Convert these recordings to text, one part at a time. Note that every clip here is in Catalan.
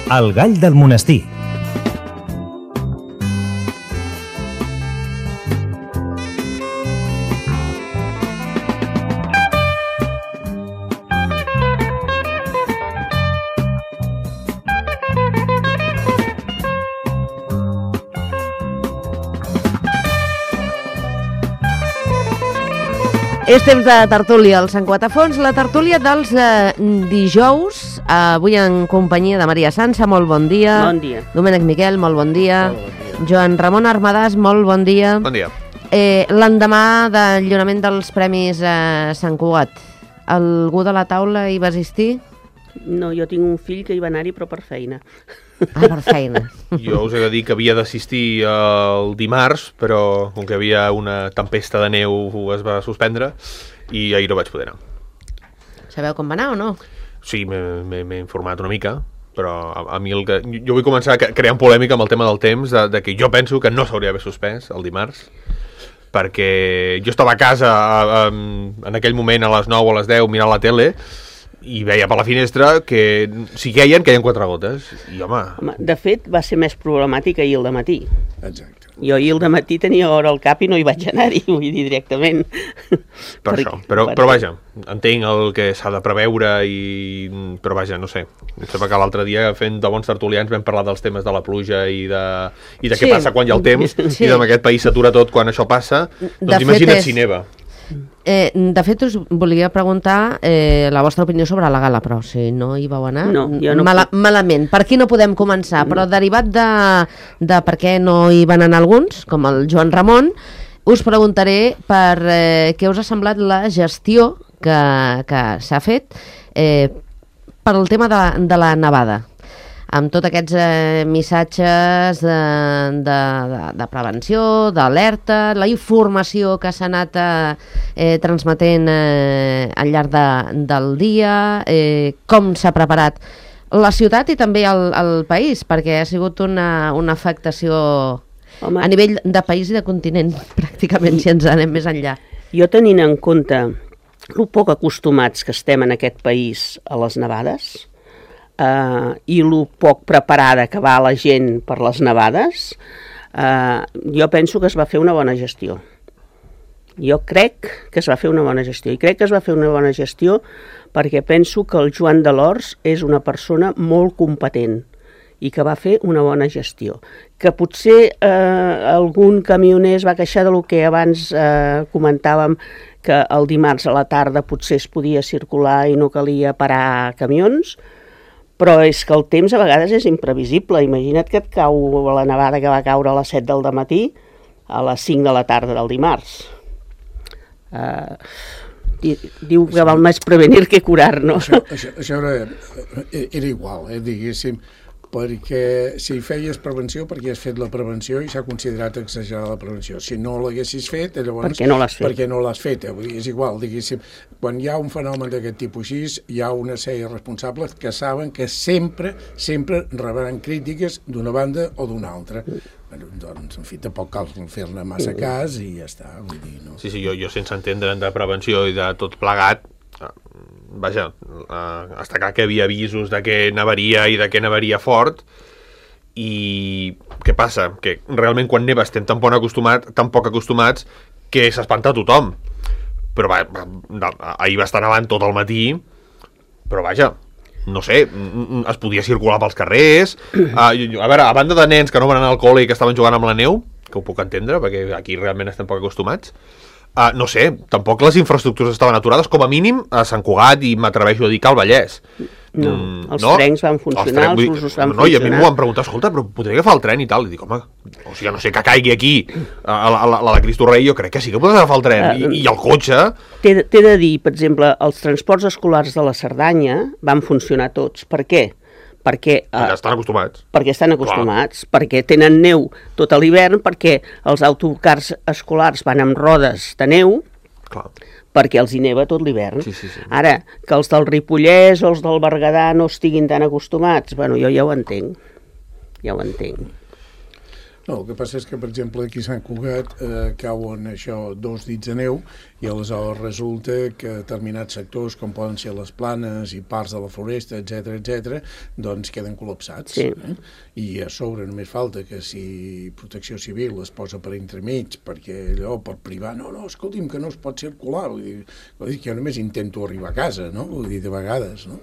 El gall del monestir. És temps de tertúlia al Sant Quatafons, la tertúlia dels dijous, avui en companyia de Maria Sança, molt bon dia. Bon dia. Domènec Miquel, molt bon dia. Joan Ramon Armadàs, molt bon dia. Bon dia. L'endemà del lliurament dels Premis Sant Cugat, algú de la taula hi va assistir? No, jo tinc un fill que hi va anar-hi, però per feina. Ah, per feina. Jo us he de dir que havia d'assistir el dimarts, però com que hi havia una tempesta de neu es va suspendre i ahir no vaig poder anar. Sabeu com va anar o no? Sí, m'he informat una mica, però a mi jo vull començar creant polèmica amb el tema del temps, de que jo penso que no s'hauria d'haver suspès el dimarts, perquè jo estava a casa en aquell moment a les 9 o a les 10 mirant la tele i veia per la finestra que si queien 4 gotes i home, De fet, va ser més problemàtic ahir al dematí. Exacte. Jo ahir al dematí tenia hora al cap i no hi vaig anar-hi, vull dir, directament. per això, però vaja, entenc el que s'ha de preveure però vaja, no sé, em sembla que l'altre dia fent de bons tertulians vam parlar dels temes de la pluja i de què passa quan hi ha el temps i en aquest país s'atura tot quan això passa, doncs imagina't si neva. De fet, us volia preguntar la vostra opinió sobre la gala, però si no hi vau anar, no, jo no malament. Per aquí no podem començar, però derivat de per què no hi van anar alguns, com el Joan Ramon, us preguntaré per què us ha semblat la gestió que s'ha fet per al tema de la nevada, amb tots aquests missatges de prevenció, d'alerta, la informació que s'ha anat transmetent al llarg del dia, com s'ha preparat la ciutat i també el país, perquè ha sigut una afectació a nivell de país i de continent, pràcticament, si ens anem més enllà. Jo tenint en compte el poc acostumats que estem en aquest país a les nevades, i el poc preparada que va la gent per les nevades, jo penso que es va fer una bona gestió. Jo crec que es va fer una bona gestió. I crec que es va fer una bona gestió perquè penso que el Joan Delors és una persona molt competent i que va fer una bona gestió. Que potser algun camioner es va queixar del que abans comentàvem, que el dimarts a la tarda potser es podia circular i no calia parar camions, però és que el temps a vegades és imprevisible. Imagina't que et cau la nevada que va caure a les 7 del matí a les 5 de la tarda del dimarts. Diu que val més prevenir que curar, no? Això era igual, diguéssim, perquè si feies prevenció, perquè has fet la prevenció i s'ha considerat exagerar la prevenció. Si no l'haguessis fet, llavors... Per què no l'has fet? Perquè no l'has fet, és igual, diguéssim. Quan hi ha un fenomen d'aquest tipus així, hi ha una sèrie de responsables que saben que sempre rebran crítiques d'una banda o d'una altra. Doncs, en fi, tampoc cal fer-ne massa cas i ja està, vull dir, no? Sí, jo sense entendre de prevenció i de tot plegat, vaja, està clar que hi havia avisos de que nevaria i de que nevaria fort, i què passa? Que realment quan neva estem tan poc acostumats que s'espanta tothom. Però ahir va estar nevant tot el matí, però vaja, no sé, es podia circular pels carrers. A veure, a banda de nens que no van anar al col·le i que estaven jugant amb la neu, que ho puc entendre, perquè aquí realment estem poc acostumats, no sé, tampoc les infraestructures estaven aturades, com a mínim a Sant Cugat i m'atreveixo a dir que al Vallès. No, els trens van funcionar, els busos van funcionar. I a mi m'ho van preguntar, escolta, però podria agafar el tren i tal? I dic, home, o sigui, no sé, que caigui aquí la de Cristo Rei, jo crec que sí que podràs agafar el tren. I el cotxe... T'he de dir, per exemple, els transports escolars de la Cerdanya van funcionar tots. Per què? Perquè estan acostumats. Perquè estan acostumats, perquè tenen neu tot l'hivern, perquè els autocars escolars van amb rodes de neu, perquè els hi neva tot l'hivern. Sí. Ara, que els del Ripollès o els del Berguedà no estiguin tan acostumats, bueno, jo ja ho entenc. No, el que passa és que, per exemple, aquí a Sant Cugat cauen això 2 dits de neu i aleshores resulta que determinats sectors, com poden ser les planes i parts de la floresta, etc, doncs queden col·lapsats. Sí. I a sobre només falta que si Protecció Civil es posa per entremig perquè allò per privar, no, escolti'm, que no es pot circular. Vull dir que jo només intento arribar a casa, no? Vull dir, de vegades, no?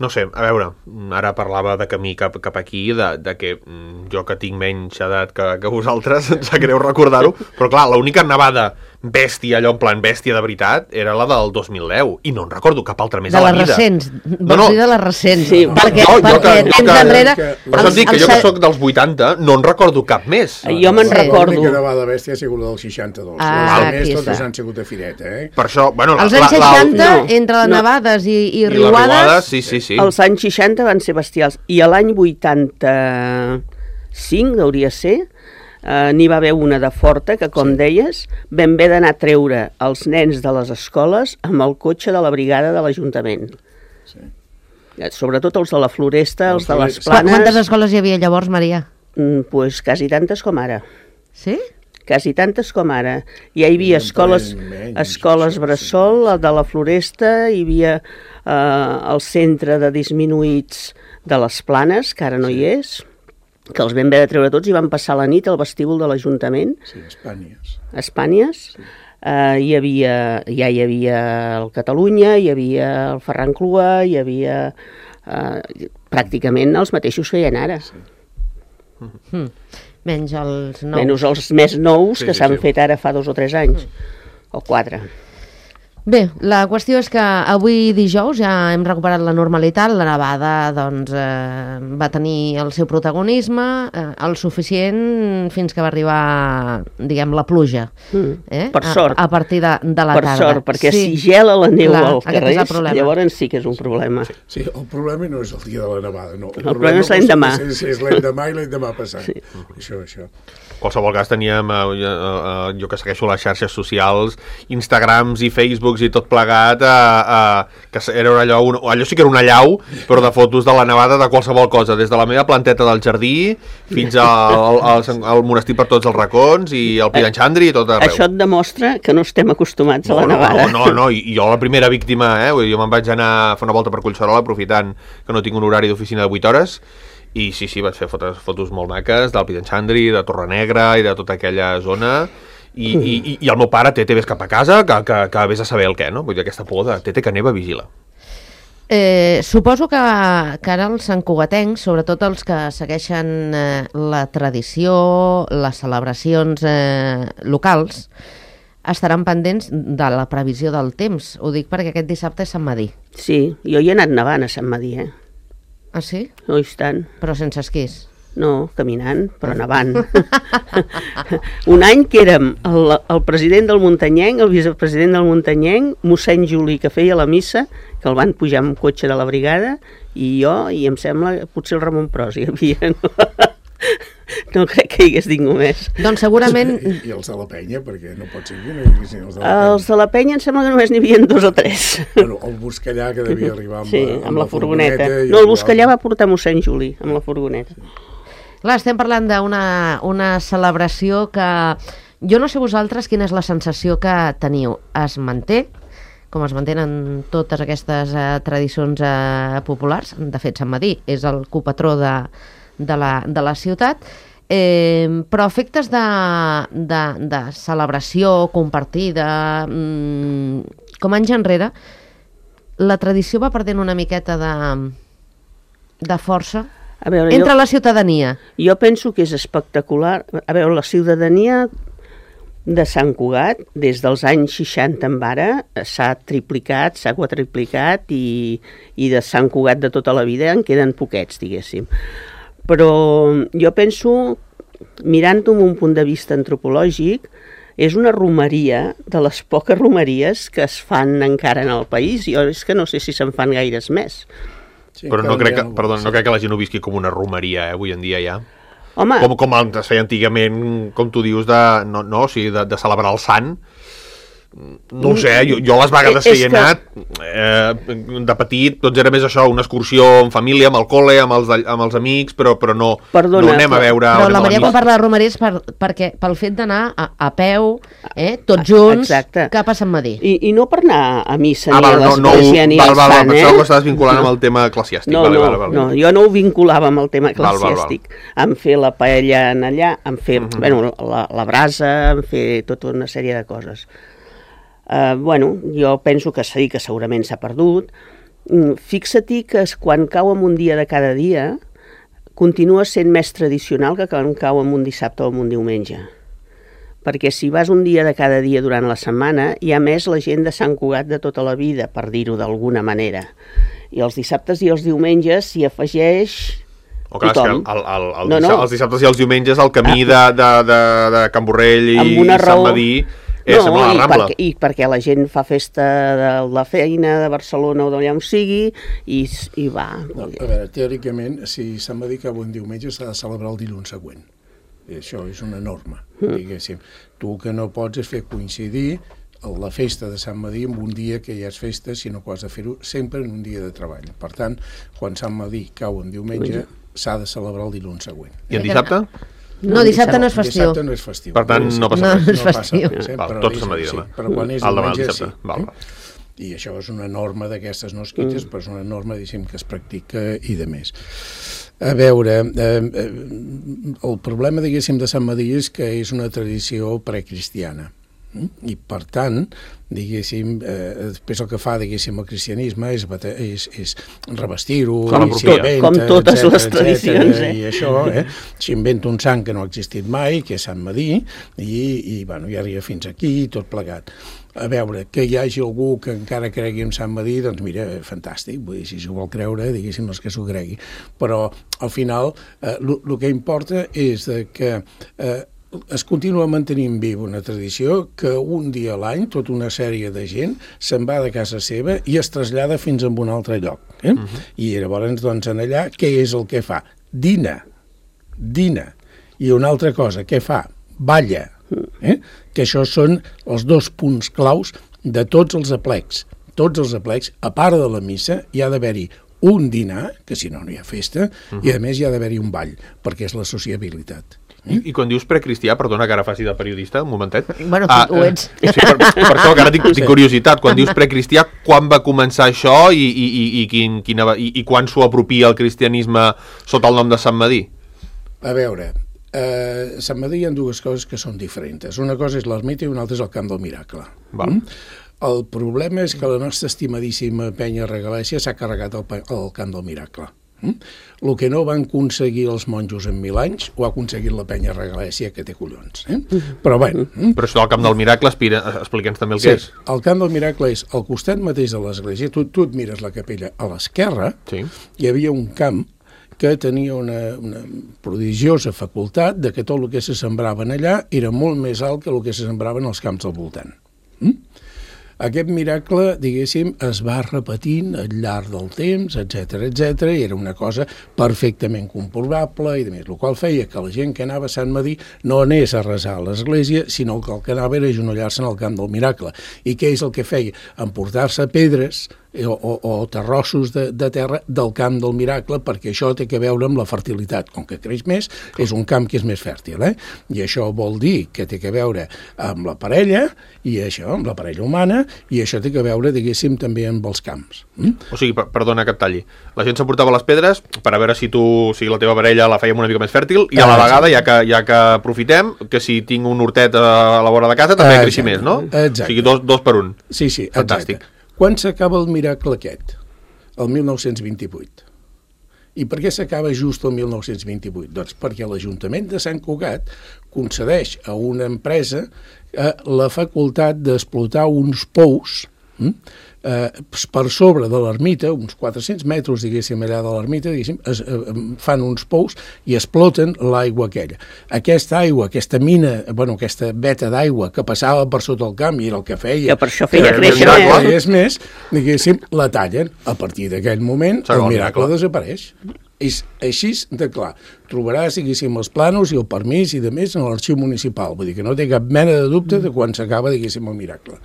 No sé, a veure, ara parlava de camí cap aquí, de que jo que tinc menys edat que vosaltres, em sap greu recordar-ho, però clar, l'única nevada bèstia, allò en plan bèstia de veritat, era la del 2010, i no en recordo cap altra més de a la les vida. recents, vols dir de les recents? Sí, perquè temps enrere... Per això et dic que jo que soc dels 80 no en recordo cap més. Jo me'n recordo. L'única nevada bèstia ha sigut la del 62. Ah, Les més aquí totes està. han sigut de fireta, Per això, bueno... Els anys 60, no, entre les nevades i I les riuades... riuades, sí. Els anys 60 van ser bestials. I a l'any 85, hauria ser, n'hi va haver una de forta, que com deies, vam haver d'anar a treure els nens de les escoles amb el cotxe de la brigada de l'Ajuntament. Sí. Sobretot els de la Floresta, els de les Quantes Planes... escoles hi havia llavors, Maria? Pues quasi tantes com ara. Sí? Quasi tantes com ara. Ja hi havia escoles bressol, la de la Floresta, hi havia el centre de disminuïts de les Planes, que ara no hi és, que els vam haver de treure tots i van passar la nit al vestíbul de l'Ajuntament. Sí, Espànies. Espànies. Sí. Hi havia el Catalunya, hi havia el Ferran Clua, hi havia pràcticament els mateixos que hi ha ara. Sí. Menys els nous. Menys els més nous que s'han fet ara fa 2 o 3 anys, o 4. Bé, la qüestió és que avui dijous ja hem recuperat la normalitat, la nevada doncs, va tenir el seu protagonisme, el suficient fins que va arribar, diguem, la pluja. Per sort. A partir de la per tarda. sort, perquè si gela la neu al carrer, llavors sí que és un problema. Sí, el problema no és el dia de la nevada, no. El problema és l'endemà. És l'endemà i l'endemà passat. Sí. Això. En qualsevol cas teníem, jo que segueixo les xarxes socials, Instagrams i Facebooks i tot plegat, que era allò sí que era una llau, però de fotos de la nevada de qualsevol cosa, des de la meva planteta del jardí fins al monestir per tots els racons i el Piranxandri i tot arreu. Això et demostra que no estem acostumats a la nevada. No, i jo la primera víctima, jo me'n vaig anar a fer una volta per Collserola aprofitant que no tinc un horari d'oficina de 8 hores i sí, vaig fer fotos molt maques del Piranxandri, de Torrenegra i de tota aquella zona i el meu pare té vés cap a casa que vés a saber el què, no? Vull dir, aquesta por de té que neva vigila. Suposo que ara els santcugatencs, sobretot els que segueixen la tradició, les celebracions locals, estaran pendents de la previsió del temps. Ho dic perquè aquest dissabte és Sant Madí. Sí, jo hi he anat nevant a Sant Madí, Ah, sí? No hi tant. Però sense esquís? No, caminant, però nevant. Un any que érem el president del Muntanyenc, el vicepresident del Muntanyenc, mossèn Juli, que feia la missa, que el van pujar amb cotxe de la brigada, i jo, i em sembla, potser el Ramon Pros hi havia, no? No crec que hi hagués ningú més. Doncs segurament... I els de la penya, perquè no pot ser que no hi haguessin els de la penya. Els de la penya em sembla que només n'hi havia 2 o 3. Bueno, el Buscallà, que devia arribar amb la furgoneta. No, el Buscallà va portar mossèn Juli, amb la furgoneta. Clar, estem parlant d'una celebració que... Jo no sé vosaltres quina és la sensació que teniu. Es manté, com es mantenen totes aquestes tradicions populars. De fet, Sant Madí és el copatró de la ciutat, però efectes de celebració compartida, com anys enrere, la tradició va perdent una miqueta de força entre la ciutadania. Jo penso que és espectacular. A veure, la ciutadania de Sant Cugat, des dels anys 60 en ara, s'ha triplicat, s'ha quadriplicat i de Sant Cugat de tota la vida en queden poquets, diguéssim. Però jo penso, mirant-ho amb un punt de vista antropològic, és una romeria de les poques romeries que es fan encara en el país. Jo és que no sé si se'n fan gaires més. Sí, però no crec que la gent ho visqui com una romeria, avui en dia ja. Home. Com es feia antigament, com tu dius, de celebrar el sant. no ho sé, jo les vegades que hi he anat, de petit, doncs era més això, una excursió en família, amb el col·le, amb els amics, però no anem a veure... Però la Maria quan parla de Romer és perquè pel fet d'anar a peu, tots junts, cap a Sant Madí. I no per anar a missa ni a l'església ni al sant, Pensava que estaves vinculant amb el tema eclesiàstic. No, jo no ho vinculava amb el tema eclesiàstic. Em fer la paella en allà, em fer la brasa, em fer tota una sèrie de coses. Jo penso que sí, que segurament s'ha perdut. Fixa-t'hi que quan cau en un dia de cada dia continua sent més tradicional que quan cau en un dissabte o en un diumenge. Perquè si vas un dia de cada dia durant la setmana, hi ha més la gent de Sant Cugat de tota la vida, per dir-ho d'alguna manera. I els dissabtes i els diumenges s'hi afegeix tothom. Els dissabtes i els diumenges el camí de Can Borrell i Sant Madí sembla la Rambla. I perquè la gent fa festa de la feina de Barcelona o d'allà on sigui i va. A veure, teòricament, si Sant Madí cau un diumenge s'ha de celebrar el dilluns següent. Això és una norma, diguéssim. Tu el que no pots és fer coincidir la festa de Sant Madí en un dia que ja és festa, sinó que has de fer-ho sempre en un dia de treball. Per tant, quan Sant Madí cau un diumenge, s'ha de celebrar el dilluns següent. I en dissabte? No, dissabte no és festiu. Dissabte no és festiu. Per tant, no passa res. No és festiu. Tot Sant Madí demà. Però quan és diumenge, sí. I això és una norma d'aquestes nosquites, però és una norma, diguéssim, que es practica i de més. A veure, el problema, diguéssim, de Sant Madí és que és una tradició precristiana. I per tant, diguéssim, després el que fa, diguéssim, el cristianisme és revestir-ho, com totes les tradicions, i això, s'inventa un sant que no ha existit mai, que és Sant Madí, i arriba fins aquí, tot plegat. A veure, que hi hagi algú que encara cregui en Sant Madí, doncs mira, fantàstic, vull dir, si s'ho vol creure, diguéssim, els que s'ho cregui. Però, al final, el que importa és que es continua mantenint viva una tradició que un dia a l'any tota una sèrie de gent se'n va de casa seva i es trasllada fins a un altre lloc. I llavors, doncs, en allà, què és el que fa? Dina. I una altra cosa, què fa? Balla. Que això són els dos punts claus de tots els aplecs. Tots els aplecs, a part de la missa, hi ha d'haver-hi un dinar, que si no, no hi ha festa, i a més hi ha d'haver-hi un ball, perquè és la sociabilitat. I quan dius precristià, perdona que ara faci de periodista, un momentet. Bueno, ho ets. Sí, per això que ara tinc curiositat. Quan dius precristià, quan va començar això i quan s'ho apropia el cristianisme sota el nom de Sant Madí? A veure, a Sant Madí hi ha dues coses que són diferents. Una cosa és l'ermita i una altra és el Camp del Miracle. El problema és que la nostra estimadíssima penya regalèssia s'ha carregat el Camp del Miracle. El que no van aconseguir els monjos en 1000 anys ho ha aconseguit la penya regalèssia, que té collons. Però bé. Però això del Camp del Miracle, explica'ns també el que és. El Camp del Miracle és al costat mateix de l'església. Tu et mires la capella a l'esquerra, hi havia un camp que tenia una prodigiosa facultat de que tot el que se sembrava allà era molt més alt que el que se sembrava en els camps del voltant. Aquest miracle, diguéssim, es va repetint al llarg del temps, etc., i era una cosa perfectament comprovable, i el qual feia que la gent que anava a Sant Madí no anés a resar a l'església, sinó que el que anava era agenollar-se en el Camp del Miracle. I què és el que feia? Emportar-se pedres o terrossos de terra del Camp del Miracle, perquè això té que veure amb la fertilitat. Com que creix més, és un camp que és més fèrtil, i això vol dir que té que veure amb la parella, i això, amb la parella humana, i això té que veure, diguéssim, també amb els camps. O sigui, perdona que et talli, la gent s'emportava les pedres per a veure si la teva parella la fèiem una mica més fèrtil, i a la vegada, ja que aprofitem, que si tinc un hortet a la vora de casa també creixi més, no? Exacte. O sigui, dos per un. Sí, fantàstic. Exacte. Quan s'acaba el miracle aquest? El 1928. I per què s'acaba just el 1928? Doncs perquè l'Ajuntament de Sant Cugat concedeix a una empresa la facultat d'explotar uns pous per sobre de l'ermita, uns 400 metres, diguéssim, allà de l'ermita, fan uns pous i exploten l'aigua aquella. Aquesta aigua, aquesta mina, aquesta veta d'aigua que passava per sota el camp i era el que feia... Que per això feia créixer més, diguéssim, la tallen. A partir d'aquell moment, el miracle desapareix. És així de clar. Trobaràs, diguéssim, els plànols i el permís i de més en l'arxiu municipal. Vull dir que no té cap mena de dubte de quan s'acaba, diguéssim, el miracle.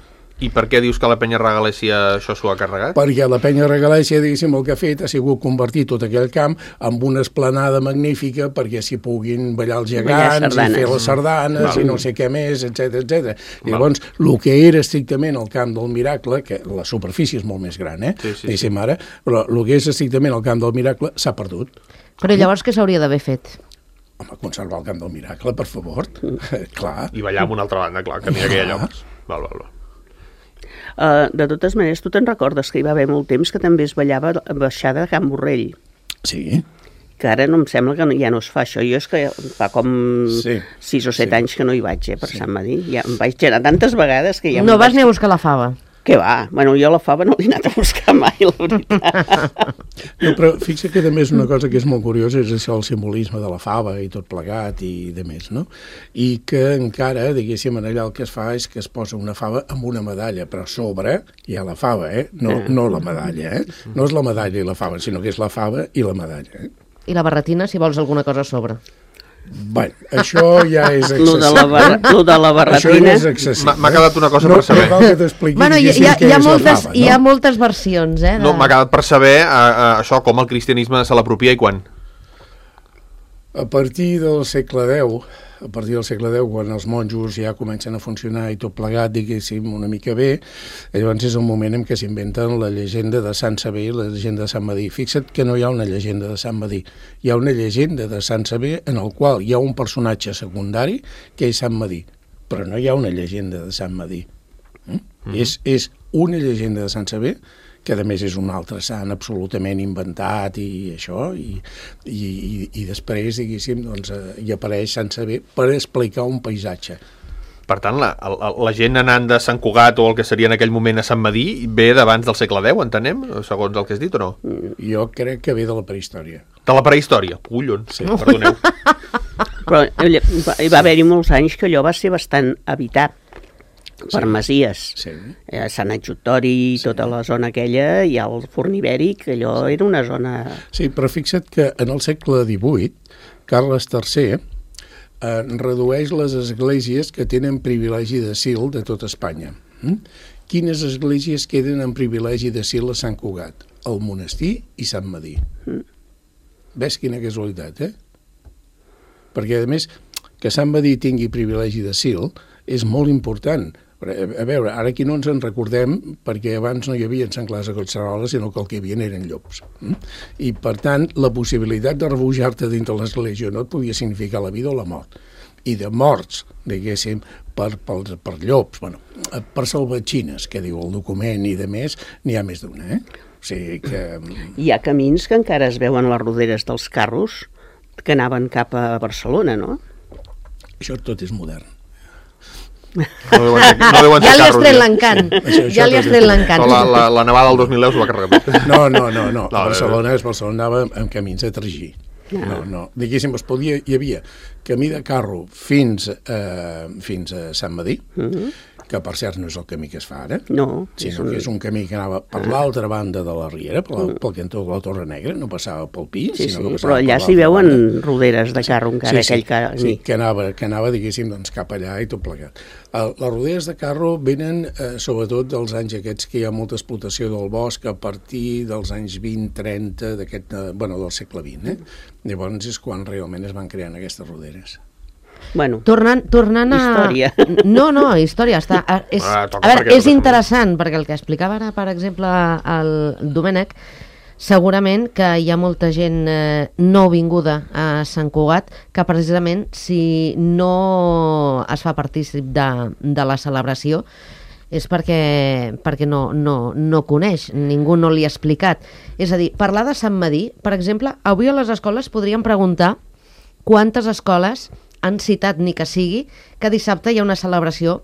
I per què dius que la penya Regalèssia això s'ho ha carregat? Perquè la penya Regalèssia, diguéssim, el que ha fet ha sigut convertir tot aquell camp en una esplanada magnífica perquè s'hi puguin ballar els gegants i fer les sardanes i no sé què més, etc. Llavors, el que era estrictament el camp del Miracle, que la superfície és molt més gran, diguéssim ara, però el que és estrictament el camp del Miracle s'ha perdut. Però llavors què s'hauria d'haver fet? Home, conservar el camp del Miracle, per favor. Clar. I ballar amb una altra banda, clar, que n'hi ha aquella lloc. Val. De totes maneres, tu te'n recordes que hi va haver molt temps que també es ballava baixada de Can Borrell, Sí. que ara no em sembla que ja no es fa això. Jo és que fa com 6 o 7 anys que no hi vaig, per Sant Madí. Ja em vaig anar tantes vegades que ja... No vas ni a buscar la fava? Què va? Bueno, jo la fava no l'he anat a buscar mai, la veritat. No, però fixa que també és una cosa que és molt curiosa, és això, el simbolisme de la fava i tot plegat i de més, no? I que encara, diguéssim, allà el que es fa és que es posa una fava amb una medalla, però a sobre hi ha la fava, no la medalla, No és la medalla i la fava, sinó que és la fava i la medalla, I la barretina, si vols alguna cosa a sobre. Bueno, això ja és excessiu. Lo de la barretina... Això ja és excessiu. M'ha quedat una cosa per saber. No cal que t'expliqui Bueno, hi ha moltes versions, No, m'ha quedat per saber això, com el cristianisme se l'apropia i quan. A partir del segle X, quan els monjos ja comencen a funcionar i tot plegat, diguéssim, una mica bé, llavors és el moment en què s'inventen la llegenda de Sant Sever i la llegenda de Sant Madí. Fixa't que no hi ha una llegenda de Sant Madí, hi ha una llegenda de Sant Sever en el qual hi ha un personatge secundari que és Sant Madí, però no hi ha una llegenda de Sant Madí. És una llegenda de Sant Sever, que a més és un altre sant absolutament inventat i això, i després, diguéssim, doncs, hi apareix Sant Sever per explicar un paisatge. Per tant, la gent anant de Sant Cugat o el que seria en aquell moment a Sant Madí ve d'abans del segle X, entenem? Segons el que has dit o no? Jo crec que ve de la prehistòria. De la prehistòria? Collons, sí. Perdoneu. Però hi va haver-hi molts anys que allò va ser bastant habitat per masies. Sí. Sant Adjutori, tota la zona aquella, i el Forn Ibèric, allò era una zona... Sí, però fixa't que en el segle XVIII, Carles III redueix les esglésies que tenen privilegi d'asil de tot Espanya. Quines esglésies queden en privilegi d'asil a Sant Cugat? El monestir i Sant Madí. Ves quina casualitat, Perquè, a més, que Sant Madí tingui privilegi d'asil és molt important. A veure, ara aquí no ens en recordem perquè abans no hi havia senglars a Collserola, sinó que el que hi havia eren llops. I, per tant, la possibilitat de refugiar-te dintre l'església no et podia significar la vida o la mort. I de morts, diguéssim, per llops, per salvatgines, que diu el document i de més, n'hi ha més d'una, O sigui que... Hi ha camins que encara es veuen les roderes dels carros que anaven cap a Barcelona, no? Això tot és modern. Ja li has tret l'encant. La nevada del 2010 s'ho va carregar tot. No. Barcelona anava amb camins de tragí. No. Diguéssim, hi havia camí de carro fins a Sant Madí, que per cert no és el camí que es fa ara, sinó que és un camí que anava per l'altra banda de la Riera, pel cantó de la Torre Negra, no passava pel Pi, sinó que passava però allà s'hi veuen roderes de carro encara. Sí, que anava, diguéssim, doncs, cap allà i tot plegat. Les roderes de carro venen sobretot dels anys aquests que hi ha molta explotació del bosc a partir dels anys 20-30 del segle XX. Llavors és quan realment es van creant aquestes roderes. Bueno, tornant a... Història. No, història. A veure, és interessant, perquè el que explicava ara, per exemple, el Domènec, segurament que hi ha molta gent nouvinguda a Sant Cugat que precisament si no es fa partícip de la celebració és perquè no coneix, ningú no li ha explicat. És a dir, parlar de Sant Madí, per exemple, avui a les escoles podríem preguntar quantes escoles han citat, ni que sigui, que dissabte hi ha una celebració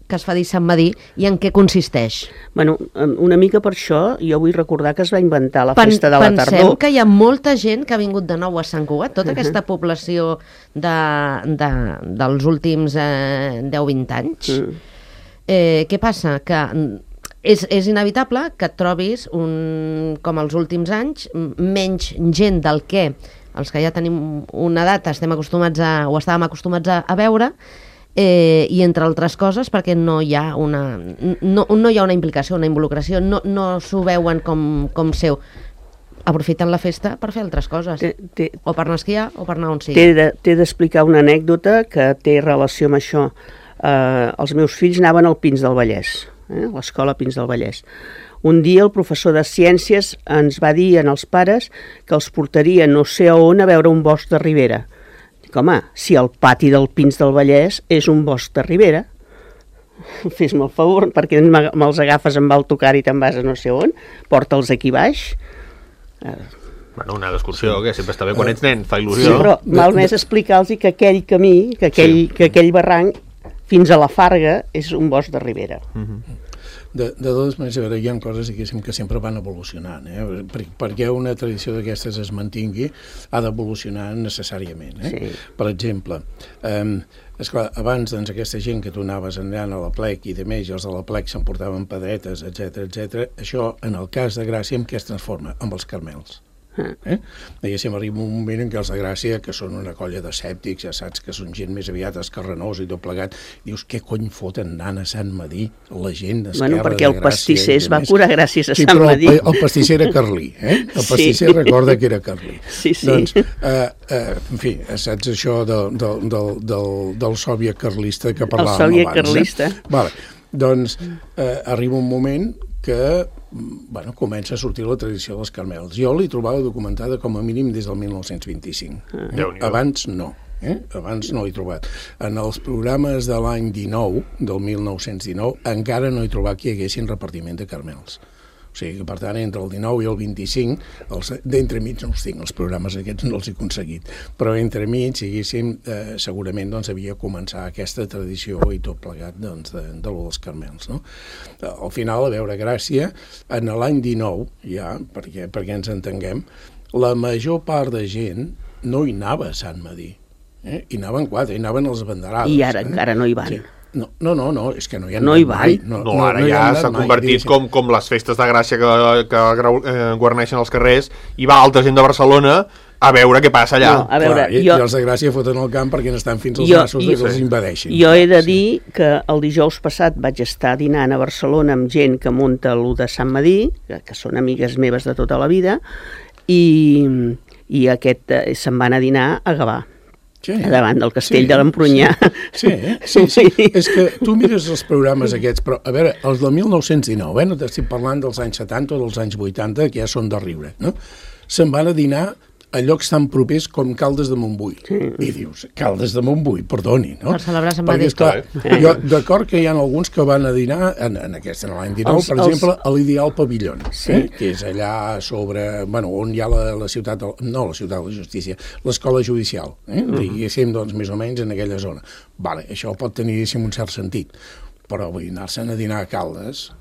que es fa dir Sant Madí i en què consisteix. Bueno, una mica per això jo vull recordar que es va inventar la festa de la tardor. Pensem que hi ha molta gent que ha vingut de nou a Sant Cugat, tota aquesta població dels últims 10-20 anys. Què passa? Que és inevitable que et trobis, com els últims anys, menys gent del que els que ja tenim una edat estàvem acostumats a veure, i entre altres coses perquè no hi ha una implicació, una involucració, no s'ho veuen com seu. Aprofiten la festa per fer altres coses, o per anar a esquiar o per anar on sigui. T'he d'explicar una anècdota que té relació amb això. Els meus fills anaven al Pins del Vallès, a l'escola Pins del Vallès. Un dia el professor de ciències ens va dir als pares que els portaria no sé a on a veure un bosc de ribera. Dic, home, si el pati del Pins del Vallès és un bosc de ribera, fes-me el favor, perquè me'ls agafes amb autocar i te'n vas a no sé on, porta'ls aquí baix. Bueno, una excursió, que sempre està bé quan ets nen, fa il·lusió. Sí, però val més explicar-los que aquell camí, que aquell barranc, fins a la Farga, és un bosc de ribera. De totes maneres, hi ha coses que sempre van evolucionant, perquè una tradició d'aquestes es mantingui ha d'evolucionar necessàriament. Sí. Per exemple, esclar, abans aquesta gent que tu anaves anant a la plec i de més, els de la plec s'emportaven pedretes, etc. Això, en el cas de Gràcia, en què es transforma? Amb els Carmels. Diguéssim, arriba un moment en què els de Gràcia, que són una colla d'escèptics, ja saps que són gent més aviat escarrenosa i tot plegat, dius, què cony foten anant a Sant Madí la gent d'Esquerra de Gràcia? Perquè el pastisser es va curar gràcies a Sant Madí. El pastisser era carlí, el pastisser recorda que era carlí. Sí. Doncs, en fi, saps això del sòviet carlista que parlàvem abans? El sòviet carlista. Vale. Doncs arriba un moment que comença a sortir la tradició dels Carmels. Jo l'he trobada documentada com a mínim des del 1925. Abans no. Abans no l'he trobat. En els programes de l'any 19, del 1919, encara no he trobat que hi haguessin repartiment de Carmels. O sigui que, per tant, entre el 19 i el 25, d'entremig no els tinc, els programes aquests no els he aconseguit, però entremig, segurament havia començat aquesta tradició i tot plegat de lo dels Carmels. Al final, a veure, Gràcia, en l'any 19, ja, perquè ens entenguem, la major part de gent no hi anava a Sant Madí. Hi anaven 4, hi anaven els banderades. I ara encara no hi van. Sí. No, és que no hi ha no hi mai. Ara ja s'ha convertit com les festes de Gràcia que guarneixen els carrers, i va altra gent de Barcelona a veure què passa allà. No, a veure, i els de Gràcia foten el camp perquè n'estan fins als nassos que els invadeixin. Jo he de dir que el dijous passat vaig estar dinant a Barcelona amb gent que munta l'1 de Sant Madí, que són amigues meves de tota la vida, i se'n van a dinar a Gavà. Davant del castell de l'Empronyà. Sí. És que tu mires els programes aquests, però, a veure, els del 1919, no t'estic parlant dels anys 70 o dels anys 80, que ja són de riure, no? Se'n van a dinar a llocs tan propers com Caldes de Montbui. I dius, Caldes de Montbui, perdoni, no? Per celebrar Sant Madí. Perquè, esclar, jo d'acord que hi ha alguns que van a dinar, en l'any 19, per exemple, a l'Ideal Pavillon, que és allà sobre, on hi ha la ciutat, no la ciutat de la justícia, l'escola judicial, diguéssim, doncs, més o menys en aquella zona. Vale, això pot tenir, un cert sentit, però vull anar-se'n a dinar a Caldes.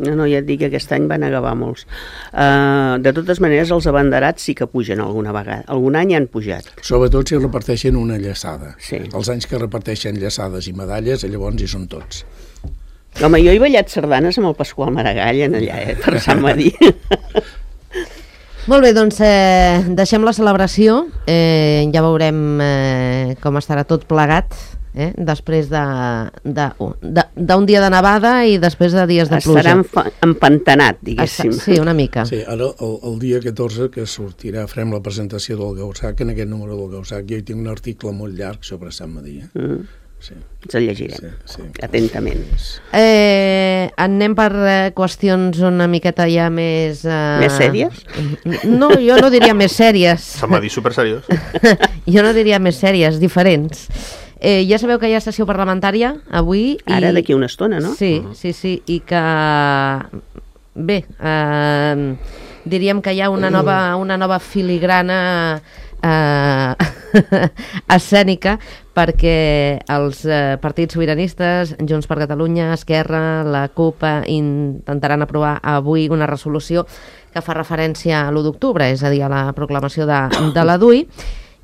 No, ja et dic que aquest any van agavar molts. De totes maneres, els abanderats sí que pugen alguna vegada. Algun any han pujat. Sobretot si reparteixen una llaçada. Sí. Els anys que reparteixen llaçades i medalles, llavors hi són tots. Home, jo he ballat sardanes amb el Pasqual Maragall allà, per Sant Madí. Molt bé, doncs deixem la celebració. Ja veurem com estarà tot plegat. Després d'un dia de nevada i després de dies de pluja. Estarà empantanat, diguéssim. Sí, una mica. Sí, ara el dia 14 que sortirà, farem la presentació del Gaussac, en aquest número del Gaussac jo hi tinc un article molt llarg sobre Sant Madí. Sí. Ens el llegirem, atentament. Anem per qüestions una miqueta ja més... Més sèries? No, jo no diria més sèries. Sant Madí superseriós. Jo no diria més sèries, diferents. Ja sabeu que hi ha sessió parlamentària avui. Ara, d'aquí una estona, no? Sí, i que... Bé, diríem que hi ha una nova filigrana escènica perquè els partits sobiranistes, Junts per Catalunya, Esquerra, la CUP, intentaran aprovar avui una resolució que fa referència a l'1 d'octubre, és a dir, a la proclamació de la DUI,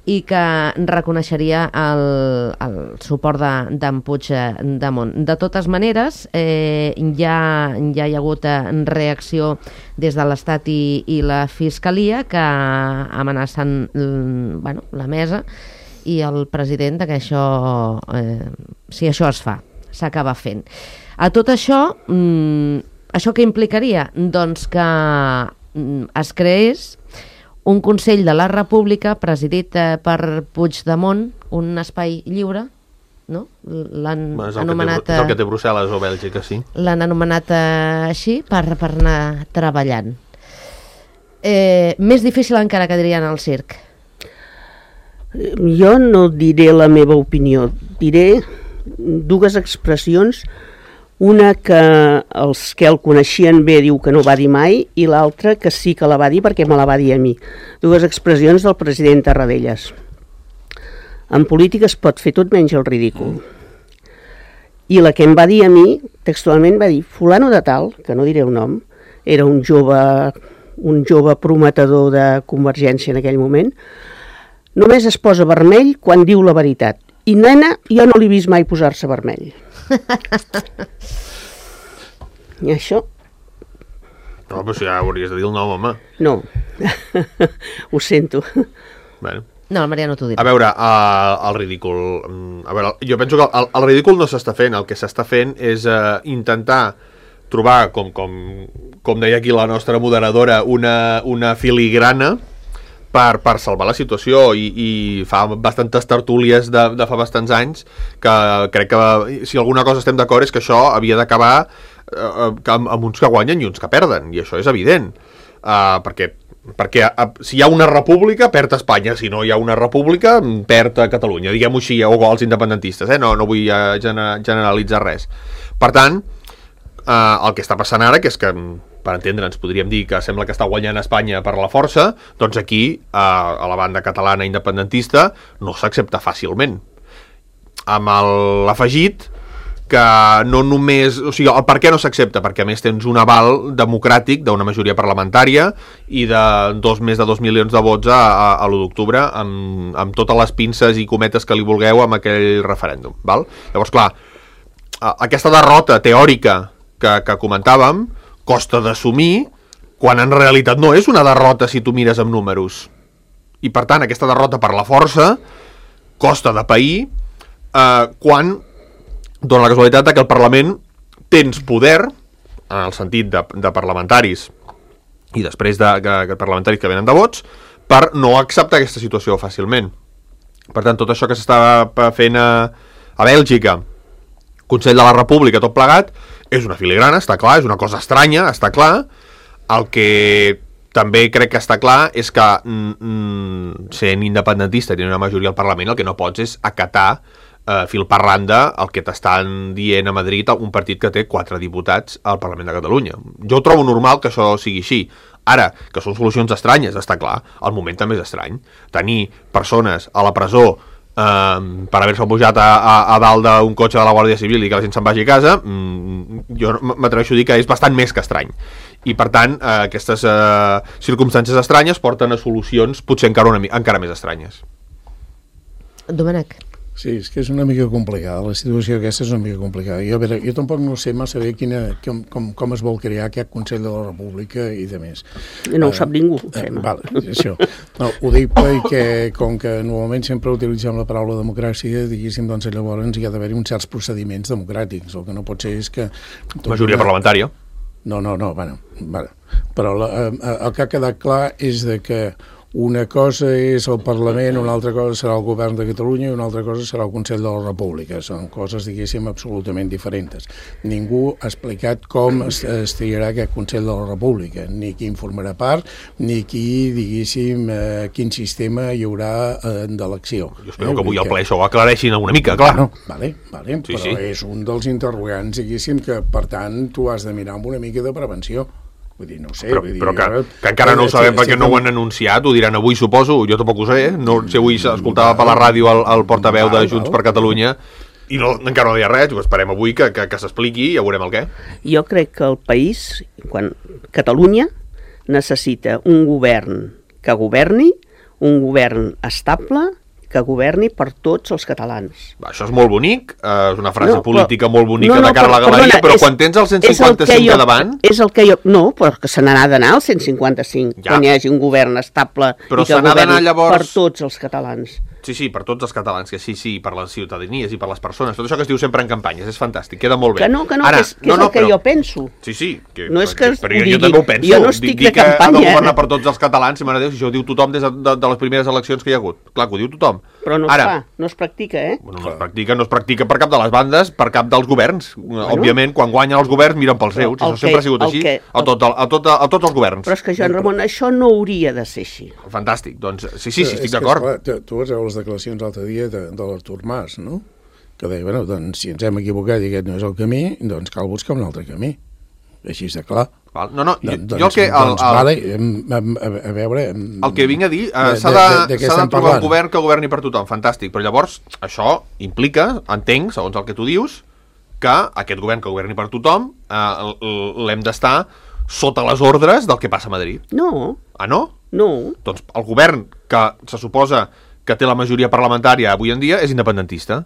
i que reconeixeria el suport d'en Puigdemont. De totes maneres, ja hi ha hagut reacció des de l'Estat i la Fiscalia que amenacen la mesa i el president que això, si això es fa, s'acaba fent. A tot això, això què implicaria? Doncs que es creés un Consell de la República presidit per Puigdemont, un espai lliure, no? L'han anomenat... És el que té Brussel·les o Bèlgica, sí. L'han anomenat així per anar treballant. Més difícil encara que dirien al circ. Jo no diré la meva opinió, diré dues expressions. Una que els que el coneixien bé diu que no va dir mai i l'altra que sí que la va dir perquè me la va dir a mi. Dues expressions del president Tarradellas. En política es pot fer tot menys el ridícul. I la que em va dir a mi, textualment va dir, fulano de tal, que no diré el nom, era un jove prometedor de Convergència en aquell moment, només es posa vermell quan diu la veritat. I nena, jo no l'he vist mai posar-se vermell. I això... No, però si ja hauries de dir el nom, home. No, ho sento. Bueno. No, el Mariano t'ho dirà. A veure, el ridícul... A veure, jo penso que el ridícul no s'està fent. El que s'està fent és intentar trobar, com deia aquí la nostra moderadora, una filigrana per salvar la situació i fa bastantes tertúlies de fa bastants anys que crec que si alguna cosa estem d'acord és que això havia d'acabar amb uns que guanyen i uns que perden, i això és evident, perquè si hi ha una república perd Espanya, si no hi ha una república perd Catalunya, diguem-ho així, o els independentistes, no vull generalitzar res. Per tant, el que està passant ara, que és que per entendre'ns podríem dir que sembla que està guanyant Espanya per la força, doncs aquí a la banda catalana independentista no s'accepta fàcilment, amb l'afegit que no només... O sigui, el per què no s'accepta? Perquè a més tens un aval democràtic d'una majoria parlamentària i de més de 2 milions de vots a l'1 d'octubre amb totes les pinces i cometes que li vulgueu amb aquell referèndum, val? Llavors, clar, aquesta derrota teòrica que comentàvem costa d'assumir quan en realitat no és una derrota si tu mires amb números. I per tant, aquesta derrota per la força costa de pair quan dona la casualitat que el Parlament tens poder, en el sentit de parlamentaris i després de parlamentaris que venen de vots, per no acceptar aquesta situació fàcilment. Per tant, tot això que s'estava fent a Bèlgica, Consell de la República, tot plegat, és una filigrana, està clar, és una cosa estranya, està clar. El que també crec que està clar és que sent independentista i tenint una majoria al Parlament, el que no pots és acatar fil per randa el que t'estan dient a Madrid un partit que té 4 diputats al Parlament de Catalunya. Jo trobo normal que això sigui així. Ara, que són solucions estranyes, està clar, el moment també és estrany. Tenir persones a la presó per haver-se pujat a dalt d'un cotxe de la Guàrdia Civil i que la gent se'n vagi a casa, jo m'atreveixo a dir que és bastant més que estrany. I per tant, aquestes circumstàncies estranyes porten a solucions potser encara més estranyes. Domènec. Sí, és que és una mica complicada, la situació aquesta és una mica complicada. Jo tampoc no sé massa bé com es vol crear aquest Consell de la República i de més. No ho sap ningú. Vale, això. No, ho dic perquè, com que normalment sempre utilitzem la paraula democràcia, diguéssim, doncs llavors hi ha d'haver-hi uns certs procediments democràtics. El que no pot ser és que... Majoria parlamentària. No, bueno. Però el que ha quedat clar és de que una cosa és el Parlament, una altra cosa serà el Govern de Catalunya i una altra cosa serà el Consell de la República. Són coses, diguéssim, absolutament diferents. Ningú ha explicat com es triarà aquest Consell de la República, ni qui informarà part, ni qui, diguéssim, quin sistema hi haurà d'elecció. Jo espero que avui al ple això ho aclareixin una mica, clar. No, vale, sí, però sí. És un dels interrogants, diguéssim, que, per tant, tu has de mirar amb una mica de prevenció. Vull dir, no ho sé. Però que encara no ho sabem perquè no ho han anunciat, ho diran avui, suposo, jo tampoc ho sé, no sé, avui s'escoltava per la ràdio el portaveu de Junts per Catalunya i encara no deia res, ho esperem avui que s'expliqui i ja veurem el què. Jo crec que el país, Catalunya, necessita un govern que governi, un govern estable, que governi per tots els catalans. Això és molt bonic, és una frase política molt bonica de cara a la galeria, però quan tens el 155 davant... És el que jo... No, però que se n'ha d'anar al 155, quan hi hagi un govern estable i que governi per tots els catalans. Sí, per tots els catalans, que sí, per les ciutadanies i per les persones, tot això que es diu sempre en campanyes, és fantàstic, queda molt bé. Que no, ara, que és el que jo penso. Sí, no és que però jo també ho penso. Jo no estic de campanya. Ha de governar per tots els catalans, si mare Déu, si això ho diu tothom des de les primeres eleccions que hi ha hagut. Clar, que ho diu tothom. Però no es fa, no es practica, Bueno, no es practica per cap de les bandes, per cap dels governs. Òbviament, quan guanyen els governs, miren pels seus. Això sempre ha sigut així, a tots els governs. Però és que, Joan Ramon, això no hauria de ser així. Fantàstic, doncs sí, estic d'acord. Tu vas veure les declaracions l'altre dia de l'Artur Mas, no? Que deia, bueno, doncs, si ens hem equivocat i aquest no és el camí, doncs cal buscar un altre camí. Així de clar. No, jo el que... Vale, a veure... El que vinc a dir, s'ha de trobar un govern que governi per tothom, fantàstic, però llavors això implica, entenc, segons el que tu dius, que aquest govern que governi per tothom l'hem d'estar sota les ordres del que passa a Madrid. No. Ah, no? No. Doncs el govern que se suposa que té la majoria parlamentària avui en dia és independentista.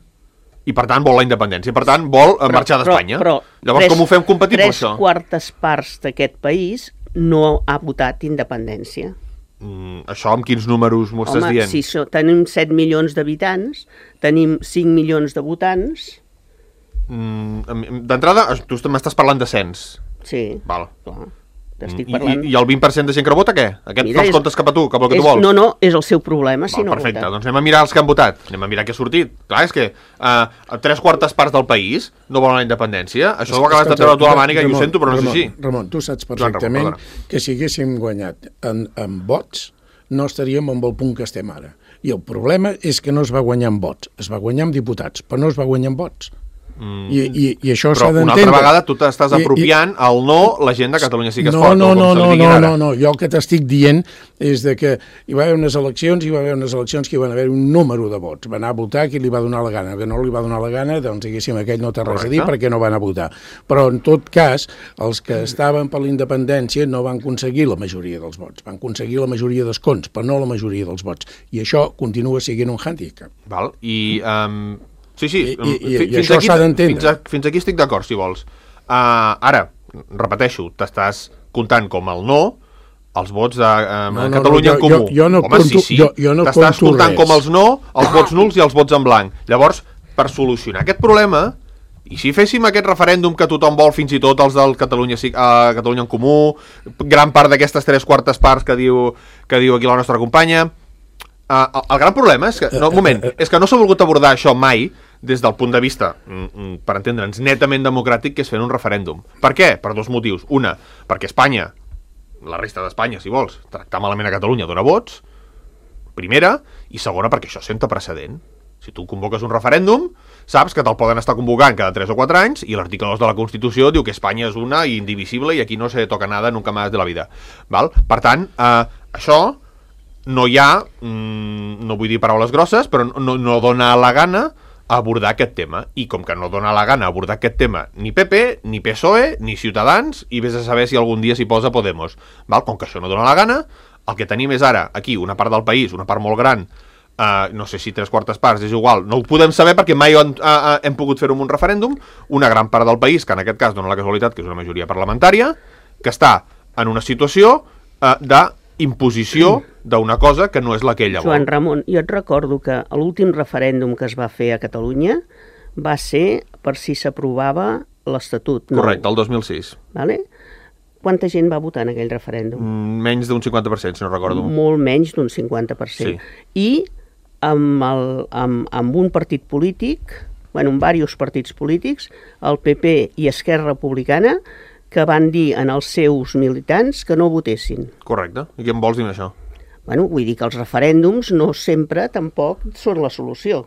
I per tant vol la independència, per tant vol marxar d'Espanya. Llavors com ho fem compatible això? 3/4 parts d'aquest país no ha votat independència. Això amb quins números m'ho estàs dient? Home, si tenim 7 milions d'habitants, tenim 5 milions de votants... D'entrada, tu m'estàs parlant de cens. Sí, clar. T'estic parlant. I el 20% de gent que no vota, què? Aquest els comptes cap a tu, cap al que tu vols? No, és el seu problema si no vota. Perfecte, doncs anem a mirar els que han votat. Anem a mirar què ha sortit. Clar, és que 3/4 parts del país no volen la independència. Això ho acabes de treure tu a la màniga i ho sento, però no és així. Ramon, tu saps perfectament que si haguéssim guanyat en vots, no estaríem amb el punt que estem ara. I el problema és que no es va guanyar en vots. Es va guanyar amb diputats, però no es va guanyar en vots. I això s'ha d'entendre. Però una altra vegada tu t'estàs apropiant al no la gent de Catalunya sí que es pot. No, jo el que t'estic dient és que hi va haver unes eleccions que hi van haver un número de vots. Va anar a votar qui li va donar la gana. Que no li va donar la gana, doncs diguéssim, aquell no té res a dir perquè no van a votar. Però en tot cas, els que estaven per la independència no van aconseguir la majoria dels vots. Van aconseguir la majoria d'escons, però no la majoria dels vots. I això continua sent un hàndicap. Val, i... Sí, I això s'ha d'entendre. Fins aquí estic d'acord, si vols. Ara, repeteixo, t'estàs comptant com el no els vots de Catalunya en Comú. Home, sí. T'estàs comptant com els no, els vots nuls i els vots en blanc. Llavors, per solucionar aquest problema, i si féssim aquest referèndum que tothom vol, fins i tot els del Catalunya en Comú, gran part d'aquestes 3/4 parts que diu aquí la nostra companya... El gran problema és que, és que no s'ha volgut abordar això mai des del punt de vista, per entendre'ns, netament democràtic, que és fent un referèndum. Per què? Per dos motius. Una, perquè Espanya, la resta d'Espanya, si vols, tractar malament a Catalunya dona vots, primera, i segona, perquè això senta precedent. Si tu convoques un referèndum, saps que te'l poden estar convocant cada 3 o 4 anys i l'article 2 de la Constitució diu que Espanya és una i indivisible i aquí no se toca nada nunca más de la vida. Val? Per tant, això... no hi ha, no vull dir paraules grosses, però no dona la gana abordar aquest tema. I com que no dona la gana abordar aquest tema ni PP, ni PSOE, ni Ciutadans, i vés a saber si algun dia s'hi posa Podemos. Val? Com que això no dona la gana, el que tenim és ara, aquí, una part del país, una part molt gran, no sé si 3/4 parts, és igual, no ho podem saber perquè mai hem pogut fer-ho amb un referèndum, una gran part del país, que en aquest cas dona la casualitat que és una majoria parlamentària, que està en una situació d'imposició d'una cosa que no és la que ella vol. Joan Ramon, jo et recordo que l'últim referèndum que es va fer a Catalunya va ser per si s'aprovava l'Estatut. Correcte, el 2006. Vale? Quanta gent va votar en aquell referèndum? Menys d'un 50%, si no recordo. Molt menys d'un 50%. Sí. I amb un partit polític, amb diversos partits polítics, el PP i Esquerra Republicana, que van dir als seus militants que no votessin. Correcte. I què em vols dir amb això? Vull dir que els referèndums no sempre tampoc són la solució.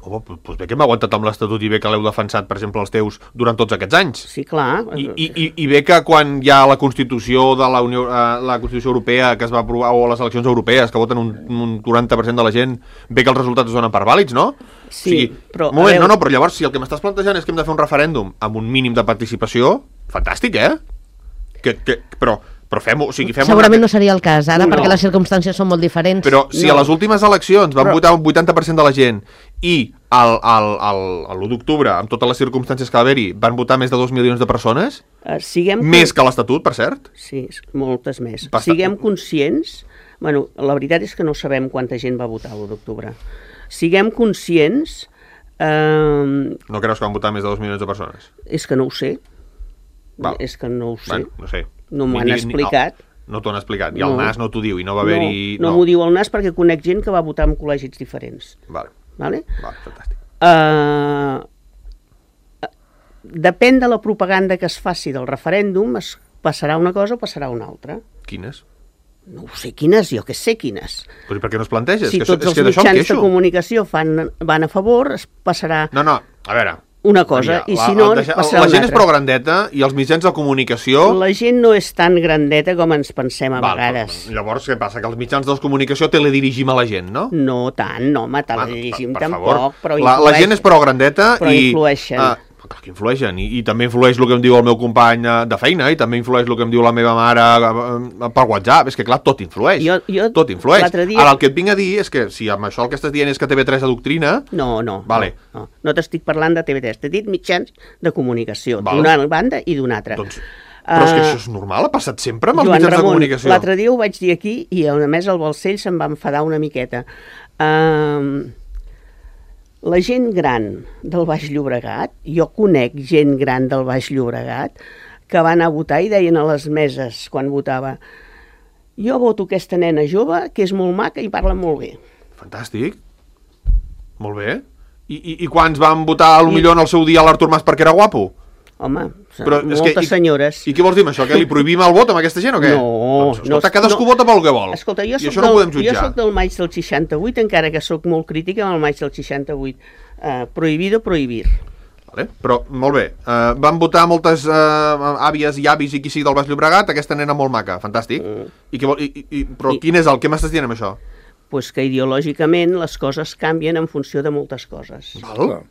Home, doncs bé que hem aguantat amb l'Estatut i bé que l'heu defensat, per exemple, els teus durant tots aquests anys. Sí, clar. I bé que quan hi ha la Constitució de la Constitució Europea que es va aprovar, o les eleccions europees que voten un 40% de la gent, bé que els resultats es donen per vàlids, no? Sí, però... Però llavors, si el que m'estàs plantejant és que hem de fer un referèndum amb un mínim de participació, fantàstic, Però fem-ho... Segurament no seria el cas ara, perquè les circumstàncies són molt diferents. Però si a les últimes eleccions van votar un 80% de la gent i l'1 d'octubre, amb totes les circumstàncies que va haver-hi, van votar més de 2 milions de persones, més que l'Estatut, per cert? Sí, moltes més. Siguem conscients... La veritat és que no sabem quanta gent va votar l'1 d'octubre. siguem conscients... No creus que van votar més de 2 milions de persones? És que no ho sé. Val. És que no ho sé. Bueno, no sé. No m'ho han explicat. No t'ho han explicat. I el NAS no t'ho diu. I no va haver-hi... No m'ho diu el NAS perquè conec gent que va votar en col·legis diferents. Vale, fantàstic. Depèn de la propaganda que es faci del referèndum, es passarà una cosa o passarà una altra. Quines? No ho sé quines, jo que sé quines. Però per què no es planteges? Si tots els mitjans de comunicació van a favor, es passarà a veure, una cosa, i si no, passarà una altra. La gent és prou grandeta i els mitjans de comunicació... La gent no és tan grandeta com ens pensem a vegades. Llavors, què passa? Que els mitjans de comunicació teledirigim a la gent, no? No tant, no, home, teledirigim per tampoc, favor. però influeixen. La gent és prou grandeta però influeixen. Clar que influeixen, i també influeix el que em diu el meu company de feina, i també influeix el que em diu la meva mare per WhatsApp, és que clar, tot influeix. Tot influeix. Ara el que et vinc a dir és que si amb això el que estàs dient és que TV3 adoctrina... No vale. No t'estic parlant de TV3, t'he dit mitjans de comunicació, d'una banda i d'una altra. Doncs, però és que això és normal, ha passat sempre amb els mitjans de comunicació. L'altre dia ho vaig dir aquí i a més el Balcell se'n va enfadar una miqueta. La gent gran del Baix Llobregat, jo conec gent gran del Baix Llobregat, que va anar a votar i deien a les meses quan votava: jo voto aquesta nena jove, que és molt maca i parla molt bé. Fantàstic. Molt bé. I quants van votar potser en el seu dia a l'Artur Mas perquè era guapo? Home, moltes senyores. I què vols dir amb això? Que li prohibim el vot amb aquesta gent o què? No. Doncs, escolta, cadascú vota pel que vol. Escolta, I això no ho podem jutjar. Jo soc del maig del 68, encara que soc molt crítica amb el maig del 68. Prohibido prohibir. Vale, però, molt bé. Van votar moltes àvies i avis i qui sigui del Baix Llobregat, aquesta nena molt maca. Fantàstic. Però quin és què m'estàs dient amb això? Pues que ideològicament les coses canvien en funció de moltes coses. Val.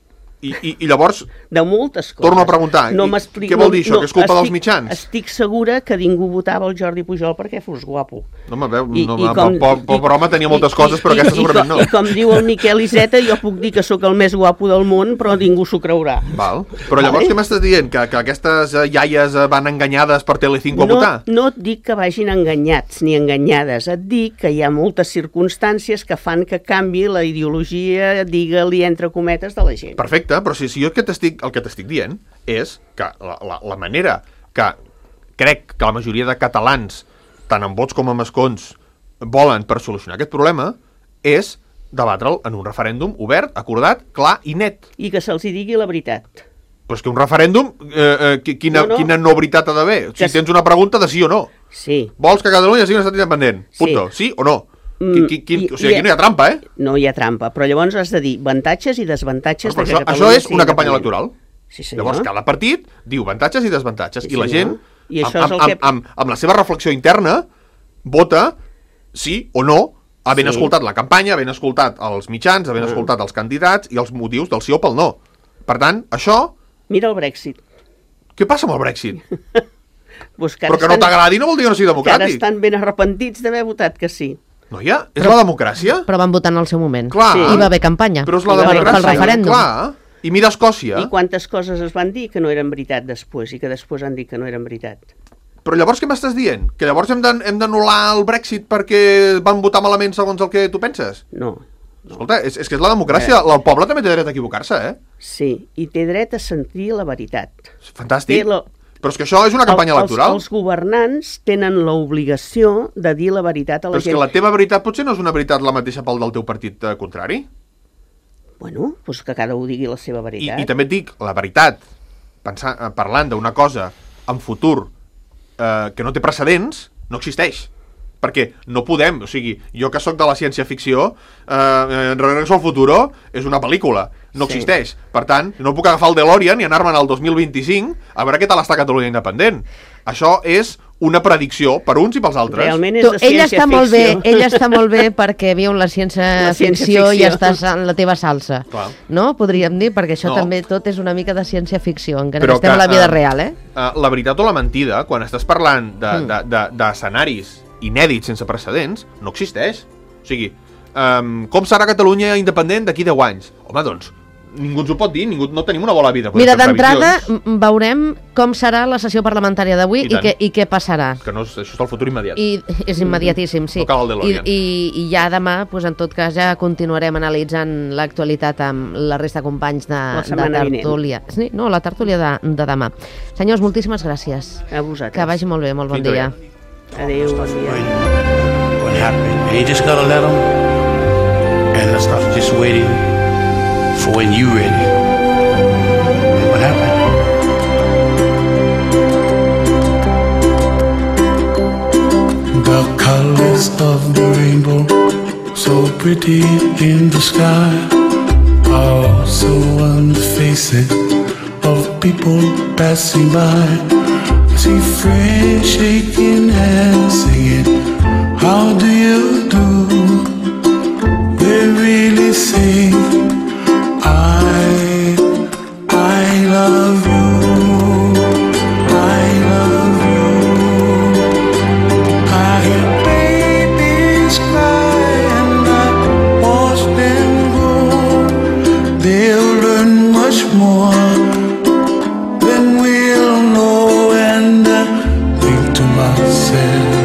I llavors, de moltes coses. Torno a preguntar, què vol dir això? Que és culpa dels mitjans? Estic segura que ningú votava el Jordi Pujol perquè fos guapo. No, pobre home tenia moltes coses, però aquesta segurament no. I com diu el Miquel Iceta, jo puc dir que sóc el més guapo del món, però ningú s'ho creurà. Val. Però llavors què m'estàs dient? Que aquestes iaies van enganyades per Telecinco a votar? No et dic que vagin enganyats ni enganyades, et dic que hi ha moltes circumstàncies que fan que canvi la ideologia, digue-li entre cometes, de la gent. Perfecte. Però si jo el que t'estic dient és que la manera que crec que la majoria de catalans, tant en vots com en escons, volen per solucionar aquest problema és debatre'l en un referèndum obert, acordat, clar i net. I que se'ls digui la veritat. Però és que un referèndum, quina no veritat ha d'haver? Si tens una pregunta de sí o no. Sí. Vols que Catalunya sigui un estat independent? Punto. Sí o no? O sigui, aquí no hi ha trampa, eh? No hi ha trampa, però llavors has de dir avantatges i desavantatges de que Catalunya... Això és una campanya electoral. Sí, senyor. Llavors cada partit diu avantatges i desavantatges. I la gent, amb la seva reflexió interna, vota sí o no, havent escoltat la campanya, havent escoltat els mitjans, havent escoltat els candidats i els motius del sí o pel no. Per tant, això... Mira el Brexit. Què passa amb el Brexit? Però que no t'agradi no vol dir que no sigui democràtic. Que ara estan ben arrepentits d'haver votat que sí. Noia, és la democràcia? Però van votar en el seu moment. Clar. I va haver campanya. Però és la democràcia. Pel referèndum. Clar. I mira Escòcia. I quantes coses es van dir que no eren veritat després i que després han dit que no eren veritat. Però llavors què m'estàs dient? Que llavors hem d'anul·lar el Brexit perquè van votar malament segons el que tu penses? No. Escolta, és que és la democràcia. El poble també té dret a equivocar-se, eh? Sí, i té dret a sentir la veritat. Fantàstic. Però és que això és una campanya electoral. Els governants tenen l'obligació de dir la veritat a la gent. Però és que la teva veritat potser no és una veritat la mateixa pel del teu partit contrari? Bueno, doncs que cada un digui la seva veritat. I també et dic, la veritat, parlant d'una cosa en futur que no té precedents, no existeix. Perquè no podem, o sigui, jo que sóc de la ciència-ficció, Regreso al futuro és una pel·lícula, no existeix. Per tant, no puc agafar el DeLorean i anar-me'n al 2025 a veure què tal està Catalunya independent. Això és una predicció per uns i pels altres. Realment és de ciència-ficció. Ella està molt bé perquè viu en la ciència-ficció i estàs en la teva salsa. Clar. No? Podríem dir, perquè això també tot és una mica de ciència-ficció, encara que estem a la vida real, eh? La veritat o la mentida, quan estàs parlant d'escenaris inèdit, sense precedents, no existeix. O sigui, com serà Catalunya independent d'aquí 10 anys? Home, doncs, ningú ens ho pot dir, no tenim una bona vida. Mira, d'entrada veurem com serà la sessió parlamentària d'avui i què passarà. Que no, això és el futur immediat. I és immediatíssim, sí. No cal el DeLorean. I ja demà, doncs, en tot cas, ja continuarem analitzant l'actualitat amb la resta de companys de tertúlia. Sí, no, la tertúlia de demà. Senyors, moltíssimes gràcies. A vosaltres. Que vagi molt bé, molt bon dia. Adéu, bon dia. What happened? And you just gotta let them and stop just waiting for when you ready. What happened? The colors of the rainbow, so pretty in the sky, also on the faces of people passing by. I see friends shaking hands, singing, how do you do? They really say, I love you, I love you. I hear babies cry and I watch them grow. They'll learn much more than we'll know, and I think to myself,